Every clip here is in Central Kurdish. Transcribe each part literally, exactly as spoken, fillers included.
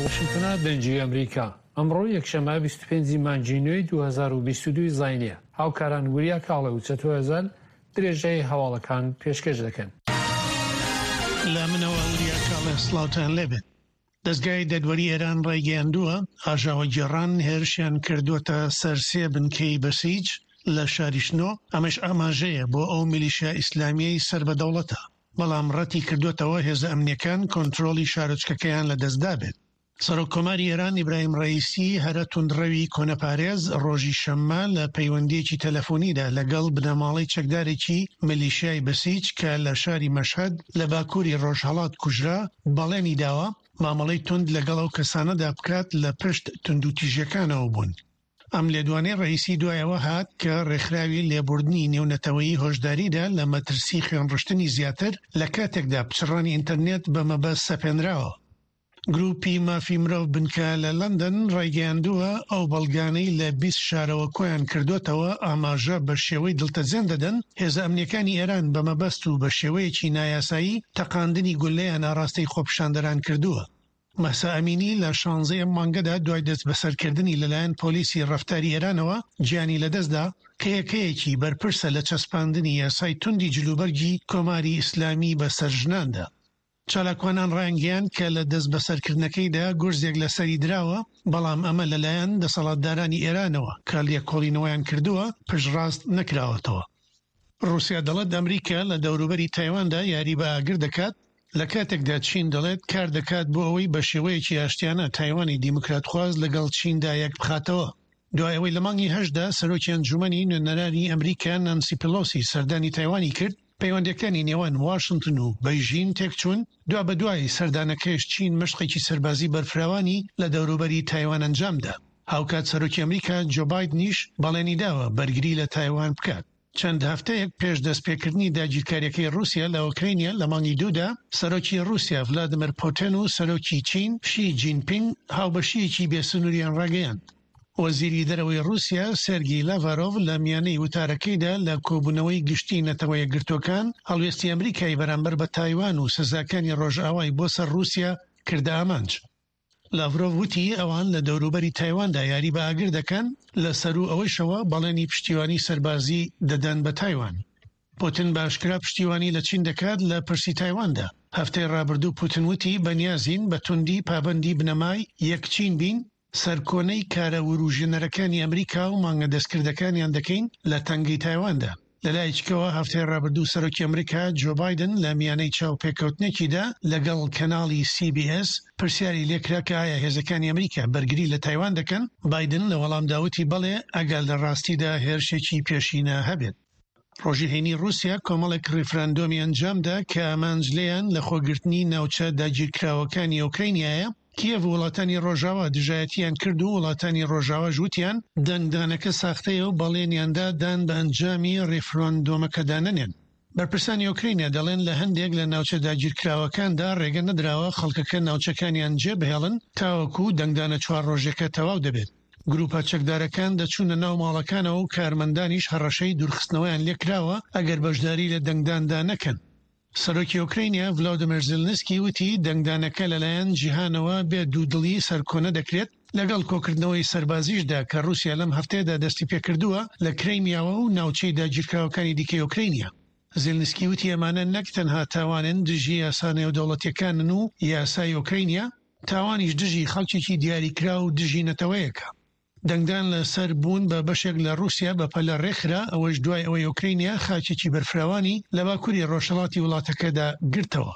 واشنتنە دەنگی ئەمریکا. ئەمڕۆ یەکشەممە بیست و پێنج ی مانگی نۆی دوو هەزار و بیست و دوو زاینیە. هاوکاران وریا کاڵێ و چەتۆ هەزال درێژەی هەواڵەکان پێشکەش دەکەن. لە منەوە وریا کاڵێ سڵاوتان لێبێت. دەزگای دادوەری ئێران ڕایگەیاندووە ئاژاوەگێڕان هێرشیان کردووەتە سەر سێ بنکەی بەسیج لە شاری شنۆ، ئەمەش ئاماژەیە بۆ ئەو میلیشیا ئیسلامیەی سەر بە دەوڵەتە، بەڵام ڕەتی کردووەتەوە هێزە ئەمنیەکان کۆنترۆڵی شارۆچکەکەیان لەدەستدابێت. سەرۆک کۆماری ئێران ئیبراهیم ڕەئیسی هەرە توندڕەوی کۆنەپارێز ڕۆژی شەممە لە پەیوەندییەکی تەلەفۆنیدا لەگەڵ بنەماڵەی چەکدارێکی میلیشیای بەسیج کە لە شاری مەشهەد لە باکووری ڕۆژهەڵات کوژرا بەڵێنی داوە مامەڵەی توند لەگەڵ ئەو کەسانەدا بکات لە پشت توندوتیژیەکانەوە بوون. ئەم لێدوانەی ڕەئیسی دوایەوە هات کە ڕێکخراوی لێبوردنی نێونەتەوەیی هۆشداریدا لە مەترسی خوێنڕشتنی زیاتر لە کاتێکدا پچڕانی ئینتەرنێت بە مەبەست سەپێنراوە. گروپی مافی مرۆڤ بنکە لە لەندەن ڕایگەیاندووە ئەو بەڵگانەی لە بیست شارەوە کۆیان کردوتەوە ئاماژە بە شێوەی دڵتەزێن دەدەن هێزە ئەمنیەکانی ئێران بە مەبەست و بە شێوەیەکی نایاسایی تەقاندنی گولەیان ئاراستەی خۆپیشاندەران کردووە. مەهسا ئەمینی لە شانزەی ئەم مانگەدا دوای دەستبەسەرکردنی لەلایەن پۆلیسی ڕەفتاری ئێرانەوە گیانی لەدەستدا کە یەکەیەکی بەرپرسە لە چەسپاندنی یاسای توندی جلوبەرگی کۆماری ئیسلامی بەسەر ژناندا. چالاکوانان ڕایانگەیاند کە لە دەستبەسەرکردنەکەیدا گورزێک لەسەری دراوە، بەڵام ئەمە لەلایەن دەسەڵاتدارانی ئێرانەوە کە لێکۆڵینەوەیان کردووە پشتڕاست نەکراوەتەوە. ڕووسیا دەڵێت ئەمریکا لە دەوروبەری تایواندا یاری بە ئاگر دەکات، لە کاتێکدا چین دەڵێت کار دەکات بۆ ئەوەی بە شێوەیەکی ئاشتیانە تایوانی دیموکراتخواز لەگەڵ چیندا یەک بخاتەوە. دوای ئەوەی لە مانگی هەشتدا سەرۆکی ئەنجومەنی نوێنەرانی ئەمریکا نانسی پێلۆسی سەردانی تایوانی کرد، پەیوەندیەکانی نێوان واشنتن و بەیژین تێکچوون، دوابەدوای سەردانەکەیش چین مەشقێکی سەربازی بەرفراوانی لە دەوروبەری تایوان ئەنجامدا. هاوکات سەرۆکی ئەمریکا جۆ بایدنیش بەڵێنی داوە بەرگری لە تایوان بکات. چەند هەفتەیەک پێش دەستپێکردنی داگیرکاریەکەی ڕووسیا لە ئۆکرانیا لە مانگی دوودا، سەرۆکی ڕووسیا ڤلادیمیر پوتین و سەرۆکی چین شی جینپینگ هاوبەشییەکی بێسنووریان ڕاگەیاند. وەزیری دەرەوەی ڕووسیا سێرگی لاڤرۆڤ لە میانەی وتارەکەیدا لە کۆبوونەوەی گشتی نەتەوە یەکگرتووەکان هەڵوێستی ئەمریکای بەرامبەر بە تایوان و سزاکانی ڕۆژئاوای بۆ سەر ڕووسیا کردە ئامانج. لاڤرۆڤ وتی ئەوان لە دەوروبەری تایواندا یاری بە ئاگر دەکەن، لەسەروو ئەوەیشەوە بەڵێنی پشتیوانی سەربازی دەدەن بە تایوان. پوتین بە ئاشکرا پشتیوانی لە چین دەکات لە پرسی تایواندا. هەفتەی ڕابردوو پوتین وتی بەنیازین بە توندی پابەندی بنەمای یەک چین بین، سەرکۆنەی کارە وروژێنەرەکانی ئەمریکا و مانگە دەستکردەکانیان دەکەین لە تەنگەی تایواندا. لەلایەکیکەوە هەفتەی ڕابردوو سەرۆکی ئەمریکا جۆ بایدن لە میانەی چاوپێکەوتنێکیدا لەگەڵ کەناڵی سی بی ئێس پرسیاری لێکرا کە ئایا هێزەکانی ئەمریکا بەرگری لە تایوان دەکەن؟ بایدن لە وەڵامدا وتی بەڵێ ئەگەر لە ڕاستیدا هێرشێکی پێشینە هەبێت. ڕۆژی هەینی ڕووسیا کۆمەڵێک ڕیفراندۆمی ئەنجامدا کە ئامانج لێیان لە خۆگرتنی ناوچە داگیرکراوەکانی ئۆکرانیایە. کیێڤ و وڵاتانی ڕۆژاوا دژایەتیان کرد و وڵاتانی ڕۆژاواش وتیان دەنگدانەکە ساختەیە و بەڵێنیاندا دان بە ئەنجامی ڕیفراندۆمەکەدا نەنێن. بەرپرسانی ئۆکرانیا دەڵێن لە هەندێک لە ناوچە داگیرکراوەکاندا ڕێگە نەدراوە خەڵکەکە ناوچەکانیان جێبهێڵن تاوەکو دەنگدانە چوار ڕۆژێکە تەواو دەبێت. گروپە چەکدارەکان دەچوونە ناو ماڵەکانەوە و کارمەندانیش هەڕەشەی دوورخستنەوەیان لێکراوە ئەگەر بەشداری لە دەنگداندا نەکەن. سەرۆکی ئۆکرانیا ڤلادیمیر زیلنسکی وتی دەنگدانەکە لەلایەن جیهانەوە بێ دوودڵی سەرکۆنە دەکرێت، لەگەڵ کۆکردنەوەی سەربازیشدا کە ڕووسیا لەم هەفتەیەدا دەستی پێکردووە لە کرەیمیاوە و ناوچەی داگیرکراوەکانی دیکەی ئۆکرانیا. زیلنسکی وتی ئەمانە نەک تەنها تاوانن دژی یاسا نێودەوڵەتیەکانن و یاسای ئۆکرانیا، تاوانیش دژی خەڵکێکی دیاریکراو و دژی نەتەوەیەکە. دەنگدان لەسەر بوون بە بەشێک لە ڕووسیا بە پەلە ڕێکخرا، ئەوەش دوای ئەوەی ئۆکرانیا خاکێکی بەرفراوانی لە باکووری ڕۆژهەڵاتی وڵاتەکەدا گرتەوە.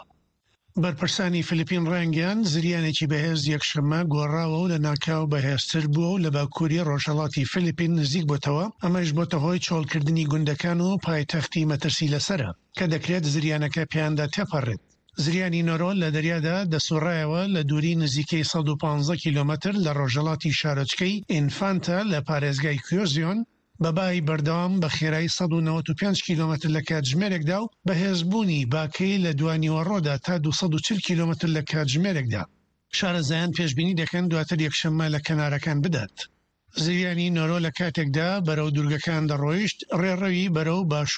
بەرپرسانی فلیپین ڕایانگەیاند زریانێکی بەهێز یەکشەممە گۆڕاوە و لە ناکاو بەهێزتر بووە و لە باکووری ڕۆژهەڵاتی فلیپین نزیک بۆتەوە، ئەمەش بۆتە هۆی چۆڵکردنی گوندەکان و پایتەختی مەترسی لەسەرە کە دەکرێت زریانەکە پێیاندا تێپەڕێت. زریانی نۆرۆ لە دەریادا دەسوڕایەوە لە دووری نزیکەی سەد و پازدە کیلۆمەتر لە ڕۆژهەڵاتی شارۆچکەی ئینفانتا لە پارێزگای کوێزیۆن، بە بای بەردەوام بە خێرایی سەد و نەوەد و پێنج کیلۆمەتر لە کاتژمێرێکدا و بەهێزبوونی باکەی لە دوانیوەڕۆدا تا دوو سەد و چل کیلۆمەتر لە کاتژمێرێکدا. شارەزایان پێشبینی دەکەن دواتر یەکشەممە لە کەنارەکان بدات. زریانی نۆرۆ لە کاتێکدا بەرەو دوورگەکان دەڕۆیشت، ڕێڕەوی بەرەو باشوور